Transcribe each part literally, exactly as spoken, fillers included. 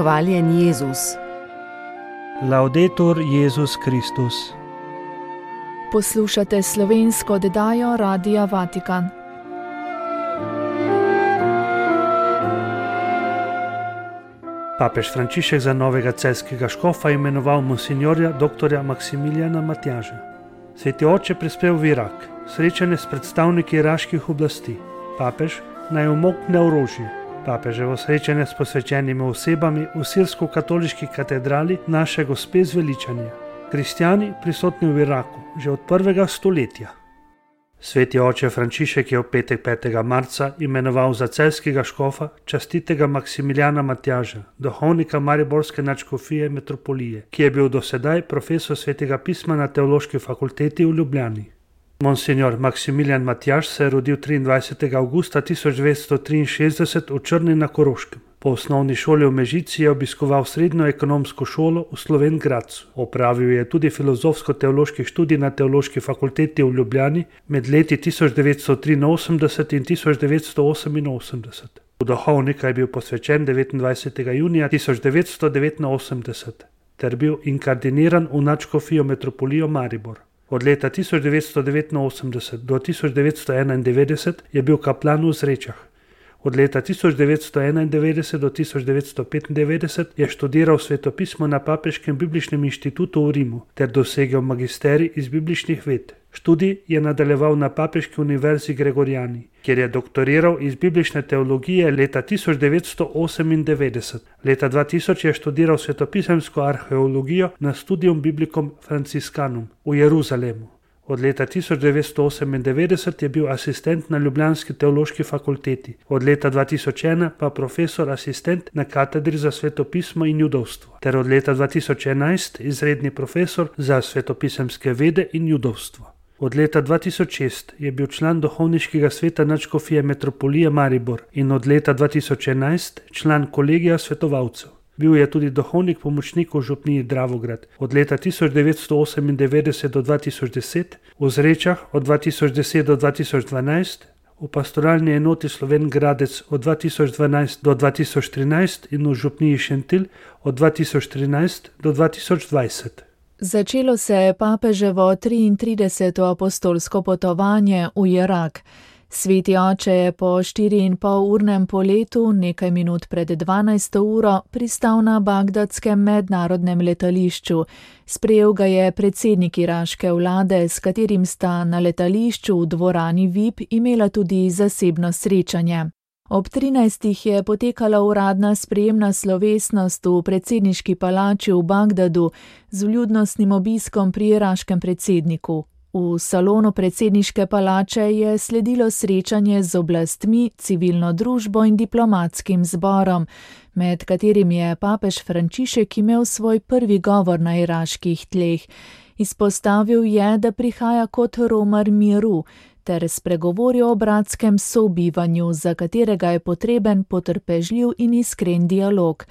Hvaljen Jezus. Laudetur Jezus Kristus. Poslušate slovensko oddajo Radia Vatikan. Papež Frančišek za novega celjskega škofa imenoval monsinjorja doktorja Maksimilijana Matjaža. Sveti oče prispel v Irak, srečanje s predstavniki iraških oblasti. Papež naj umokne orožje. Papeževo srečanje s posvečenimi osebami v sirsko-katoliški katedrali Naše Gospe zveličanja. Kristjani prisotni v Iraku že od prvega stoletja. Sveti oče Frančišek je v petek petega marca imenoval za celjskega škofa častitega Maksimilijana Matjaža, duhovnika mariborske nadškofije metropolije, ki je bil do sedaj profesor svetega pisma na Teološki fakulteti v Ljubljani. Monsinjor Maksimilijan Matjaž se je rodil triindvajsetega avgusta tisoč devetsto triinšestdeset v Črni na Koroškem. Po osnovni šoli v Mežici je obiskoval srednjo ekonomsko šolo v Slovenj Gradcu. Opravil je tudi filozofsko-teološki študij na Teološki fakulteti v Ljubljani med leti tisoč devetsto triinosemdeset in tisoč devetsto oseminosemdeset. V duhovnika je bil posvečen devetindvajsetega junija tisoč devetsto devetinosemdeset ter bil inkardiniran v nadškofijo metropolijo Maribor. Od leta tisoč devetsto devetinosemdeset do tisoč devetsto enaindevetdeset je bil kaplan v Zrečah. Od leta tisoč devetsto enaindevetdeset do tisoč devetsto petindevetdeset je študiral svetopismo na Papeškem bibličnem inštitutu v Rimu ter dosegel magisterij iz bibličnih ved. Študij je nadaljeval na Papeški univerzi Gregoriani, kjer je doktoriral iz biblične teologije leta tisoč devetsto osemindevetdeset. Leta dva tisoč je študiral svetopisemsko arheologijo na Studium Biblicum Franciscanum v Jeruzalemu. Od leta tisoč devetsto osemindevetdeset je bil asistent na ljubljanski teološki fakulteti, od leta dva tisoč ena pa profesor asistent na katedri za svetopismo in judovstvo, ter od leta dva tisoč enajst izredni profesor za svetopisemske vede in judovstvo. Od leta dva tisoč šest je bil član duhovniškega sveta nadškofije metropolije Maribor in od leta dva tisoč enajst član kolegija svetovalcev. Bil je tudi duhovnik pomočnik v župniji Dravograd od leta tisoč devetsto osemindevetdeset do dva tisoč deset, v Zrečah od dva tisoč deset do dva tisoč dvanajst, v pastoralni enoti Slovenj Gradec od dva tisoč dvanajst do dva tisoč trinajst in v župniji Šentilj od dva tisoč trinajst do dva tisoč dvajset. Začelo se je papeževo triintrideseto apostolsko potovanje v Irak. Sveti oče je po štiriinpolurnem poletu nekaj minut pred dvanajsto uro pristal na bagdadskem mednarodnem letališču. Sprejel ga je predsednik iraške vlade, s katerim sta na letališču v dvorani V I P imela tudi zasebno srečanje. Ob trinajstih je potekala uradna sprejemna slovesnost v predsedniški palači v Bagdadu z vljudnostnim obiskom pri iraškem predsedniku. V salonu predsedniške palače je sledilo srečanje z oblastmi, civilno družbo in diplomatskim zborom, med katerim je papež Frančišek imel svoj prvi govor na iraških tleh. Izpostavil je, da prihaja kot romar miru, ter spregovoril o bratskem sobivanju, za katerega je potreben potrpežljiv in iskren dialog.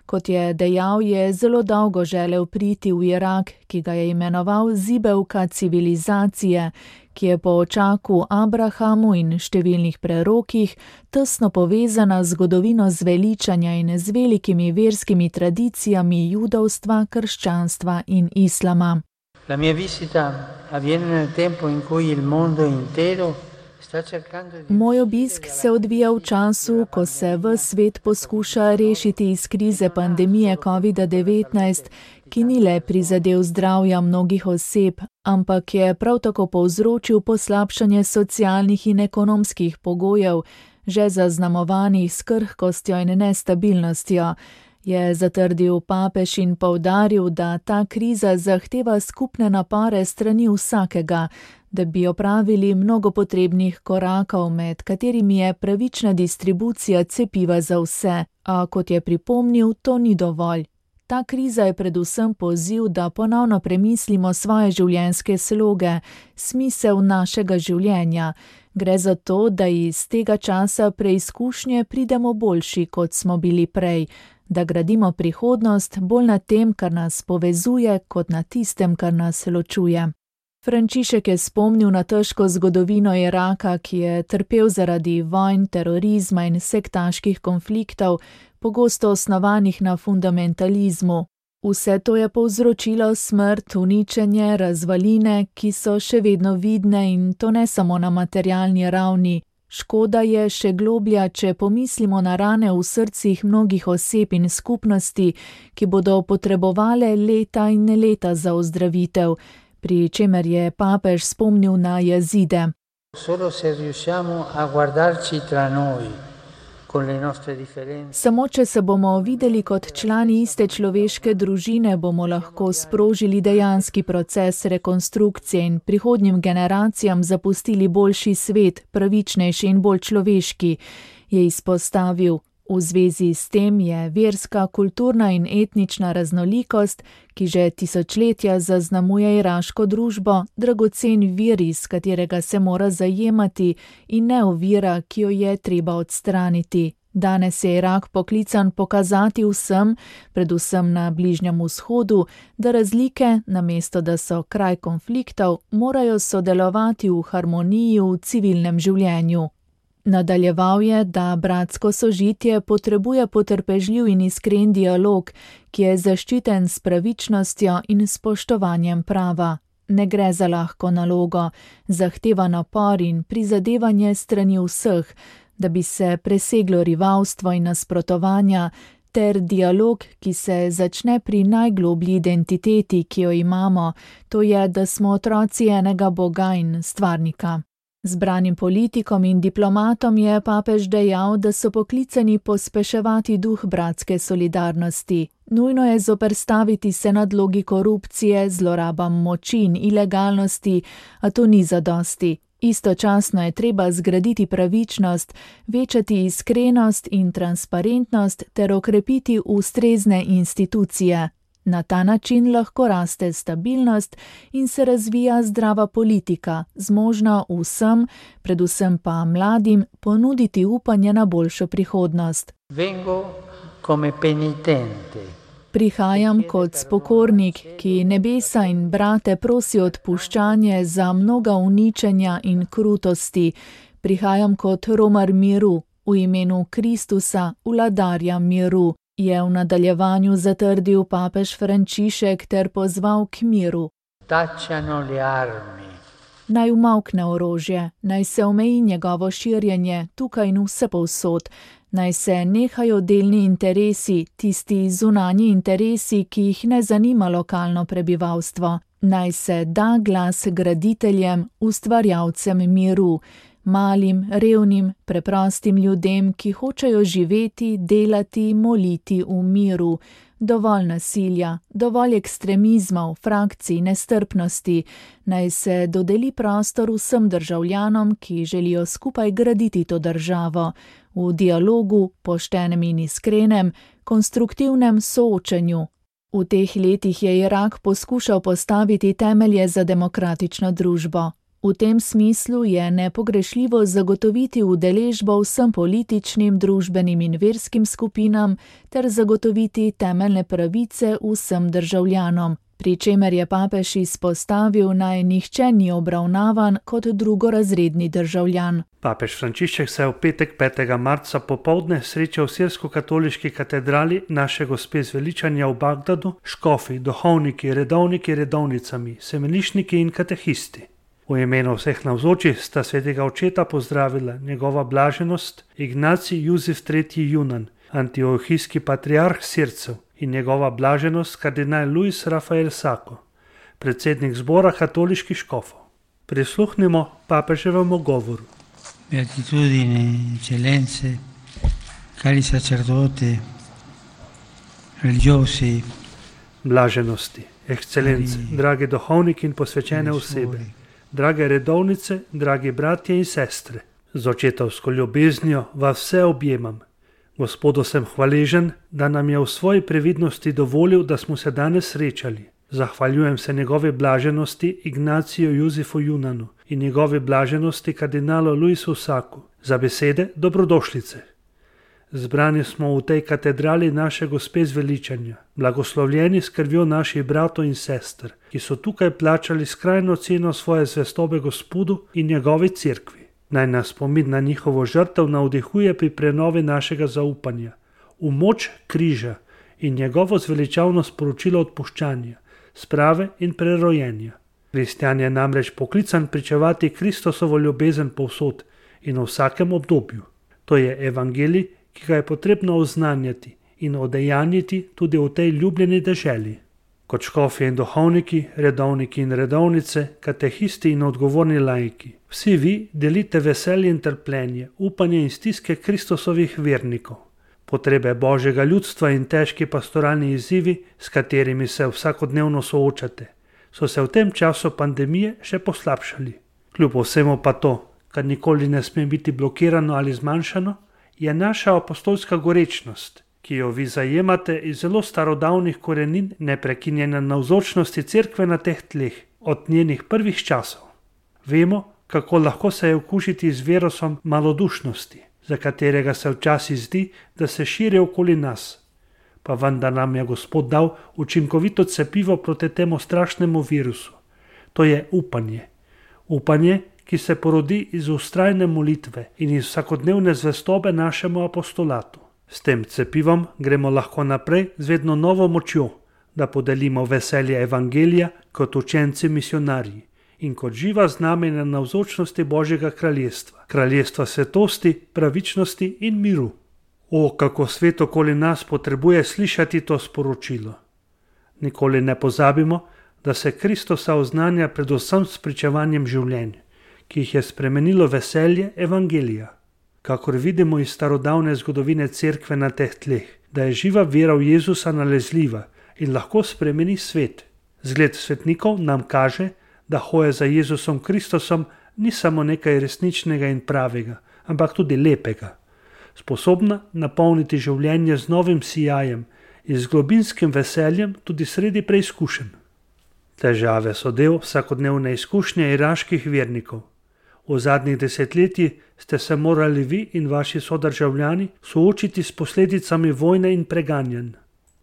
Kot je dejal, je zelo dolgo želel priti v Irak, ki ga je imenoval zibelka civilizacije, ki je po očaku Abrahamu in številnih prerokih tesno povezana z zgodovino zveličanja in z velikimi verskimi tradicijami judovstva, krščanstva in islama. La mia visita avviene nel tempo in cui il mondo intero Moj obisk se odvija v času, ko se ves svet poskuša rešiti iz krize pandemije kovida devetnajst, ki ni le prizadel zdravja mnogih oseb, ampak je prav tako povzročil poslabšanje socialnih in ekonomskih pogojev, že zaznamovanih s krhkostjo in nestabilnostjo. Je zatrdil papež in poudaril, da ta kriza zahteva skupne napore strani vsakega, da bi opravili mnogo potrebnih korakov, med katerimi je pravična distribucija cepiva za vse, a kot je pripomnil, to ni dovolj. Ta kriza je predvsem poziv, da ponovno premislimo svoje življenjske sloge, smisel našega življenja. Gre za to, da iz tega časa preizkušnje pridemo boljši, kot smo bili prej, da gradimo prihodnost bolj na tem, kar nas povezuje, kot na tistem, kar nas ločuje. Frančišek je spomnil na težko zgodovino Iraka, ki je trpel zaradi vojn, terorizma in sektaških konfliktov, pogosto osnovanih na fundamentalizmu. Vse to je povzročilo smrt, uničenje, razvaline, ki so še vedno vidne in to ne samo na materialni ravni. Škoda je še globlja, če pomislimo na rane v srcih mnogih oseb in skupnosti, ki bodo potrebovale leta in leta za ozdravitev, pri čemer je papež spomnil na Jazide. Solo se riusciamo a guardarci tra noi. Samo če se bomo videli kot člani iste človeške družine, bomo lahko sprožili dejanski proces rekonstrukcije in prihodnjim generacijam zapustili boljši svet, pravičnejši in bolj človeški, je izpostavil. V zvezi s tem je verska, kulturna in etnična raznolikost, ki že tisočletja zaznamuje iraško družbo, dragocen vir, iz katerega se mora zajemati, in ne ovira, ki jo je treba odstraniti. Danes je Irak poklican pokazati vsem, predvsem na Bližnjem vzhodu, da razlike, namesto da so kraj konfliktov, morajo sodelovati v harmoniji v civilnem življenju. Nadaljeval je, da bratsko sožitje potrebuje potrpežljiv in iskren dialog, ki je zaščiten s pravičnostjo in spoštovanjem prava. Ne gre za lahko nalogo, zahteva napor in prizadevanje strani vseh, da bi se preseglo rivalstvo in nasprotovanja, ter dialog, ki se začne pri najgloblji identiteti, ki jo imamo, to je, da smo otroci enega Boga in stvarnika. Zbranim politikom in diplomatom je papež dejal, da so poklicani pospeševati duh bratske solidarnosti. Nujno je zoperstaviti se nadlogi korupcije, zlorabam moči in ilegalnosti, a to ni zadosti. Istočasno je treba zgraditi pravičnost, večati iskrenost in transparentnost ter okrepiti ustrezne institucije. Na ta način lahko raste stabilnost in se razvija zdrava politika, zmožna vsem, predvsem pa mladim, ponuditi upanje na boljšo prihodnost. Vengo come penitente. Prihajam kot spokornik, ki nebesa in brate prosi odpuščanje za mnoga uničenja in krutosti. Prihajam kot romar miru, v imenu Kristusa, vladarja miru, je v nadaljevanju zatrdil papež Frančišek ter pozval k miru. Tacciano le armi. Naj umavkne orožje, naj se omeji njegovo širjenje tukaj in vsepovsod, naj se nehajo delni interesi, tisti zunanji interesi, ki jih ne zanima lokalno prebivalstvo, naj se da glas graditeljem, ustvarjalcem miru, malim, revnim, preprostim ljudem, ki hočejo živeti, delati, moliti v miru. Dovolj nasilja, dovolj ekstremizmov, frakcij, nestrpnosti, naj se dodeli prostor vsem državljanom, ki želijo skupaj graditi to državo, v dialogu, poštenem in iskrenem, konstruktivnem soočenju. V teh letih je Irak poskušal postaviti temelje za demokratično družbo. V tem smislu je nepogrešljivo zagotoviti udeležbo vsem političnim, družbenim in verskim skupinam ter zagotoviti temeljne pravice vsem državljanom, pri čemer je papež izpostavil, naj nihče ni obravnavan kot drugorazredni državljan. Papež Frančišek se je v petek petega marca popoldne srečal v sirsko-katoliški katedrali Naše Gospe zveličanja v Bagdadu, škofi, duhovniki, redovniki, redovnicami, semenišniki in katehisti. V imenu vseh navzočih sta svetega očeta pozdravila njegova blaženost Ignacij Juzef tretji Junan, antiohijski patriarh Sircev, in njegova blaženost kardinal Luis Rafael Sako, predsednik zbora katoliških škofov. Prisluhnimo papeževemu govoru. Beatitudine, eccellenze, cari sacerdote, religiosi, blaženosti, ekscelence, dragi duhovniki in posvečene osebe, drage redovnice, dragi bratje in sestre, z očetovsko ljubeznijo vas vse objemam. Gospodu sem hvaležen, da nam je v svoji previdnosti dovolil, da smo se danes srečali. Zahvaljujem se njegove blaženosti Ignaciju Juzefu Junanu in njegove blaženosti kardinalu Luisu Saku za besede dobrodošlice. Zbrani smo v tej katedrali naše Gospe zveličanja, blagoslovljeni s krvjo naših bratov in sester, ki so tukaj plačali skrajno ceno svoje zvestobe Gospodu in njegovi cerkvi. Naj nas spomin na njihovo žrtev navdihuje pri prenovi našega zaupanja, v moč križa in njegovo zveličavno sporočilo odpuščanja, sprave in prerojenja. Kristjan je namreč poklican pričevati Kristosovo ljubezen povsod in v vsakem obdobju. To je evangelij, ki ga je potrebno oznanjati in odejanjiti tudi v tej ljubljeni deželi. Kot škofje in duhovniki, redovniki in redovnice, katehisti in odgovorni laiki, vsi vi delite veselje in trpljenje, upanje in stiske Kristusovih vernikov. Potrebe Božjega ljudstva in težki pastoralni izzivi, s katerimi se vsakodnevno soočate, so se v tem času pandemije še poslabšali. Kljub vsemu pa to, kar nikoli ne sme biti blokirano ali zmanjšano, je naša apostolska gorečnost, ki jo vi zajemate iz zelo starodavnih korenin neprekinjene navzočnosti cerkve na teh tleh, od njenih prvih časov. Vemo, kako lahko se je okužiti z virusom malodušnosti, za katerega se včasih zdi, da se širi okoli nas. Pa vendar nam je Gospod dal učinkovito cepivo proti temu strašnemu virusu. To je upanje. Upanje, ki se porodi iz vztrajne molitve in iz vsakodnevne zvestobe našemu apostolatu. S tem cepivom gremo lahko naprej z vedno novo močjo, da podelimo veselje evangelija kot učenci misionarji in kot živa znamenja navzočnosti Božjega kraljestva, kraljestva svetosti, pravičnosti in miru. O, kako svet okoli nas potrebuje slišati to sporočilo. Nikoli ne pozabimo, da se Kristusa oznanja predvsem s pričevanjem življenj, ki jih je spremenilo veselje evangelija. Kakor vidimo iz starodavne zgodovine cerkve na teh tleh, da je živa vera v Jezusa nalezljiva in lahko spremeni svet. Zgled svetnikov nam kaže, da hoja za Jezusom Kristusom ni samo nekaj resničnega in pravega, ampak tudi lepega. Sposobna napolniti življenje z novim sijajem in z globinskim veseljem tudi sredi preizkušenj. Težave so del vsakodnevne izkušnje iraških vernikov. V zadnjih desetletjih ste se morali vi in vaši sodržavljani soočiti s posledicami vojne in preganjanj,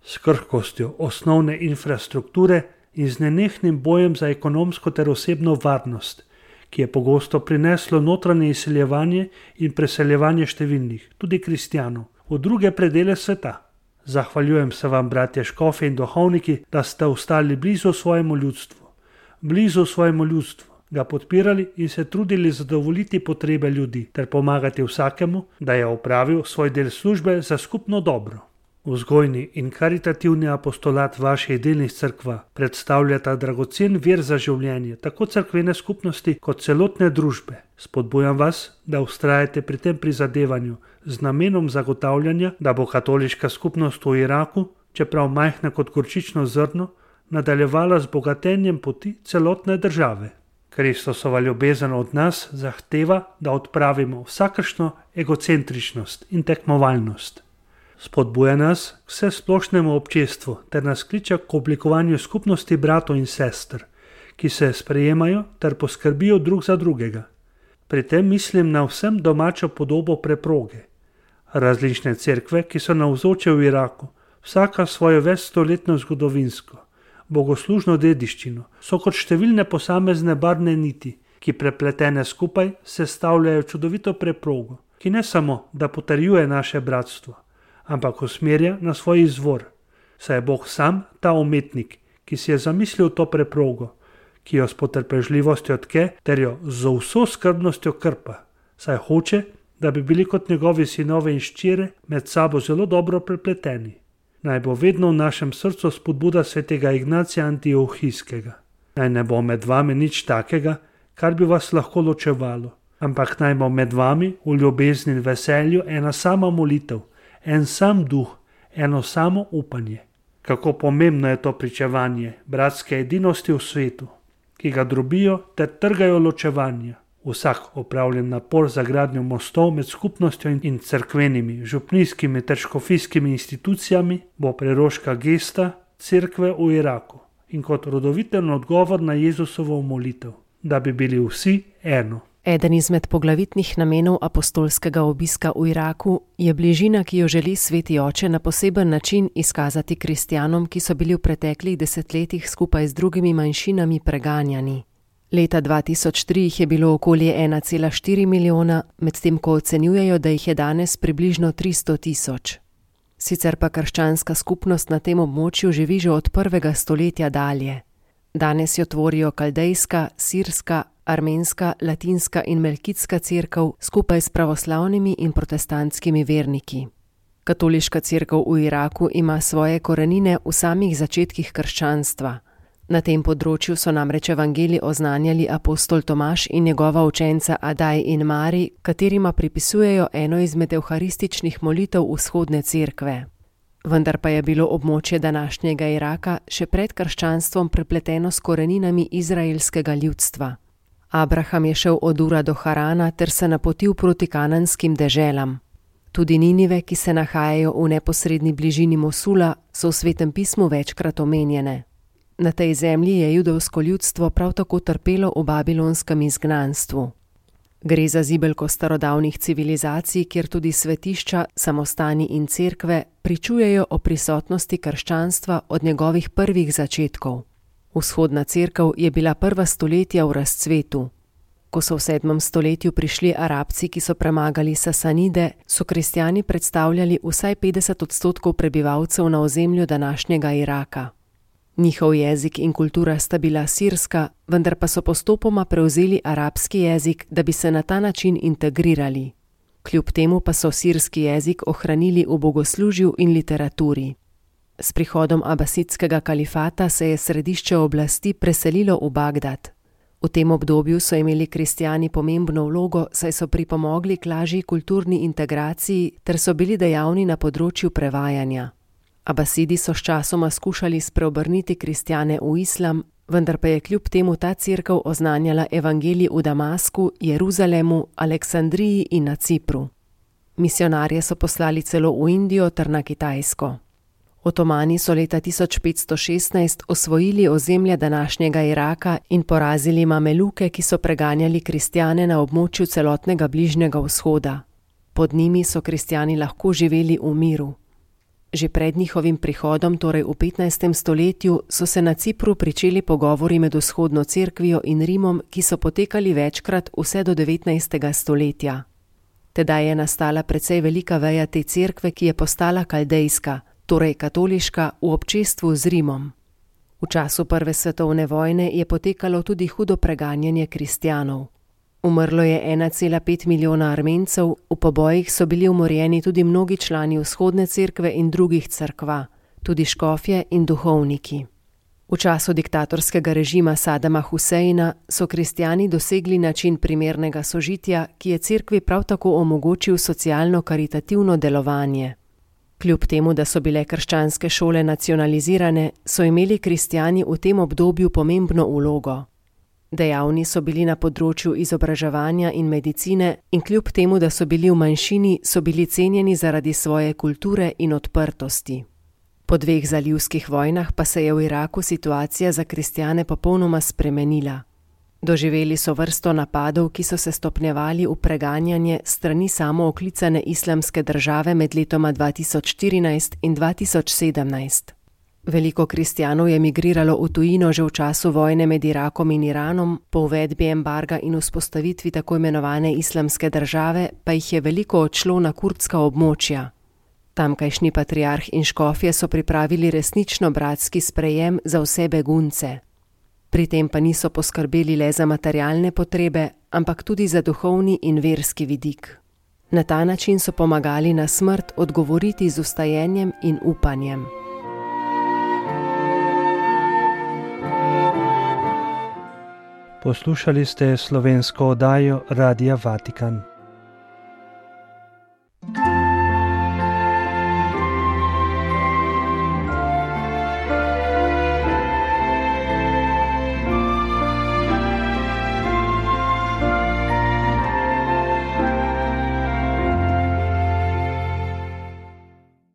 s krhkostjo osnovne infrastrukture in z nenehnim bojem za ekonomsko ter osebno varnost, ki je pogosto prineslo notranje izseljevanje in preseljevanje številnih, tudi kristjanov, v druge predele sveta. Zahvaljujem se vam, bratje škofje in duhovniki, da ste ostali blizu svojemu ljudstvu, blizu svojemu ljudstvu, ga podpirali in se trudili zadovoljiti potrebe ljudi ter pomagati vsakemu, da je opravil svoj del službe za skupno dobro. Vzgojni in karitativni apostolat vaših delnih cerkva predstavljata dragocen vir za življenje tako cerkvene skupnosti kot celotne družbe. Spodbujam vas, da vztrajate pri tem prizadevanju z namenom zagotavljanja, da bo katoliška skupnost v Iraku, čeprav majhna kot gorčično zrno, nadaljevala z bogatenjem poti celotne države. Kristusova ljubezen od nas zahteva, da odpravimo vsakršno egocentričnost in tekmovalnost. Spodbuja nas k vsesplošnemu občestvu ter nas kliče k oblikovanju skupnosti bratov in sester, ki se sprejemajo ter poskrbijo drug za drugega. Pri tem mislim na vsem domačo podobo preproge. Različne cerkve, ki so navzoče v Iraku, vsaka svojo večstoletno zgodovinsko, bogoslužno dediščino, so kot številne posamezne barvne niti, ki prepletene skupaj sestavljajo čudovito preprogo, ki ne samo, da potrjuje naše bratstvo, ampak usmerja na svoj izvor, saj je Bog sam ta umetnik, ki si je zamislil to preprogo, ki jo s potrpežljivostjo tke ter jo z vso skrbnostjo krpa, saj hoče, da bi bili kot njegovi sinove in ščire med sabo zelo dobro prepleteni. Naj bo vedno v našem srcu spodbuda svetega Ignacija Antiohijskega. Naj ne bo med vami nič takega, kar bi vas lahko ločevalo, ampak naj bo med vami v ljubezni in veselju ena sama molitev, en sam duh, eno samo upanje. Kako pomembno je to pričevanje bratske edinosti v svetu, ki ga drobijo ter trgajo ločevanja. Vsak opravljen napor za gradnjo mostov med skupnostjo in cerkvenimi, župnijskimi ter škofijskimi institucijami bo preroška gesta cerkve v Iraku in kot rodoviten odgovor na Jezusovo molitev, da bi bili vsi eno. Eden izmed poglavitnih namenov apostolskega obiska v Iraku je bližina, ki jo želi Sveti oče na poseben način izkazati kristjanom, ki so bili v preteklih desetletjih skupaj z drugimi manjšinami preganjani. Leta dva tisoč tri jih je bilo okoli ena cela štiri milijona, medtem ko ocenjujejo, da jih je danes približno tristo tisoč. Sicer pa krščanska skupnost na tem območju živi že od prvega stoletja dalje. Danes jo tvorijo kaldejska, sirska, armenska, latinska in melkitska cerkev skupaj s pravoslavnimi in protestantskimi verniki. Katoliška cerkev v Iraku ima svoje korenine v samih začetkih krščanstva. Na tem področju so namreč evangelij oznanjali apostol Tomaž in njegova učenca Adaj in Mari, katerima pripisujejo eno izmed evharističnih molitev vzhodne cerkve. Vendar pa je bilo območje današnjega Iraka še pred krščanstvom prepleteno s koreninami izraelskega ljudstva. Abraham je šel od Ura do Harana ter se napotil proti kananskim deželam. Tudi Ninive, ki se nahajajo v neposredni bližini Mosula, so v Svetem pismu večkrat omenjene. Na tej zemlji je judovsko ljudstvo prav tako trpelo v babilonskem izgnanstvu. Gre za zibelko starodavnih civilizacij, kjer tudi svetišča, samostani in cerkve pričujejo o prisotnosti krščanstva od njegovih prvih začetkov. Vzhodna cerkev je bila prva stoletja v razcvetu. Ko so v sedmem stoletju prišli Arabci, ki so premagali Sasanide, so kristjani predstavljali vsaj petdeset odstotkov prebivalcev na ozemlju današnjega Iraka. Njihov jezik in kultura sta bila sirska, vendar pa so postopoma prevzeli arabski jezik, da bi se na ta način integrirali. Kljub temu pa so sirski jezik ohranili v bogoslužju in literaturi. S prihodom abasidskega kalifata se je središče oblasti preselilo v Bagdad. V tem obdobju so imeli kristjani pomembno vlogo, saj so pripomogli k lažji kulturni integraciji ter so bili dejavni na področju prevajanja. Abasidi so sčasoma skušali spreobrniti kristjane v islam, vendar pa je kljub temu ta cerkev oznanjala evangelij v Damasku, Jeruzalemu, Aleksandriji in na Cipru. Misionarje so poslali celo v Indijo ter na Kitajsko. Otomani so leta tisoč petsto šestnajst osvojili ozemlje današnjega Iraka in porazili Mameluke, ki so preganjali kristjane na območju celotnega Bližnjega vzhoda. Pod njimi so kristjani lahko živeli v miru. Že pred njihovim prihodom, torej v petnajstem stoletju, so se na Cipru pričeli pogovori med vzhodno cerkvijo in Rimom, ki so potekali večkrat vse do devetnajstega stoletja. Tedaj je nastala precej velika veja te cerkve, ki je postala kaldejska, torej katoliška, v občestvu z Rimom. V času prve svetovne vojne je potekalo tudi hudo preganjanje kristjanov. Umrlo je ena cela pet milijona Armencev, v pobojih so bili umorjeni tudi mnogi člani vzhodne cerkve in drugih cerkva, tudi škofje in duhovniki. V času diktatorskega režima Sadama Huseina so kristjani dosegli način primernega sožitja, ki je cerkvi prav tako omogočil socialno-karitativno delovanje. Kljub temu, da so bile krščanske šole nacionalizirane, so imeli kristjani v tem obdobju pomembno vlogo. Dejavni so bili na področju izobraževanja in medicine in kljub temu, da so bili v manjšini, so bili cenjeni zaradi svoje kulture in odprtosti. Po dveh zalivskih vojnah pa se je v Iraku situacija za kristjane popolnoma spremenila. Doživeli so vrsto napadov, ki so se stopnjevali v preganjanje strani samooklicane islamske države med letoma dva tisoč štirinajst in dva tisoč sedemnajst. Veliko kristjanov je migriralo v tujino že v času vojne med Irakom in Iranom, po uvedbi embarga in vzpostavitvi tako imenovane islamske države pa jih je veliko odšlo na kurdska območja. Tamkajšnji patriarh in škofje so pripravili resnično bratski sprejem za vse begunce. Pri tem pa niso poskrbeli le za materialne potrebe, ampak tudi za duhovni in verski vidik. Na ta način so pomagali na smrt odgovoriti z vstajenjem in upanjem. Poslušali ste slovensko oddajo Radia Vatikan.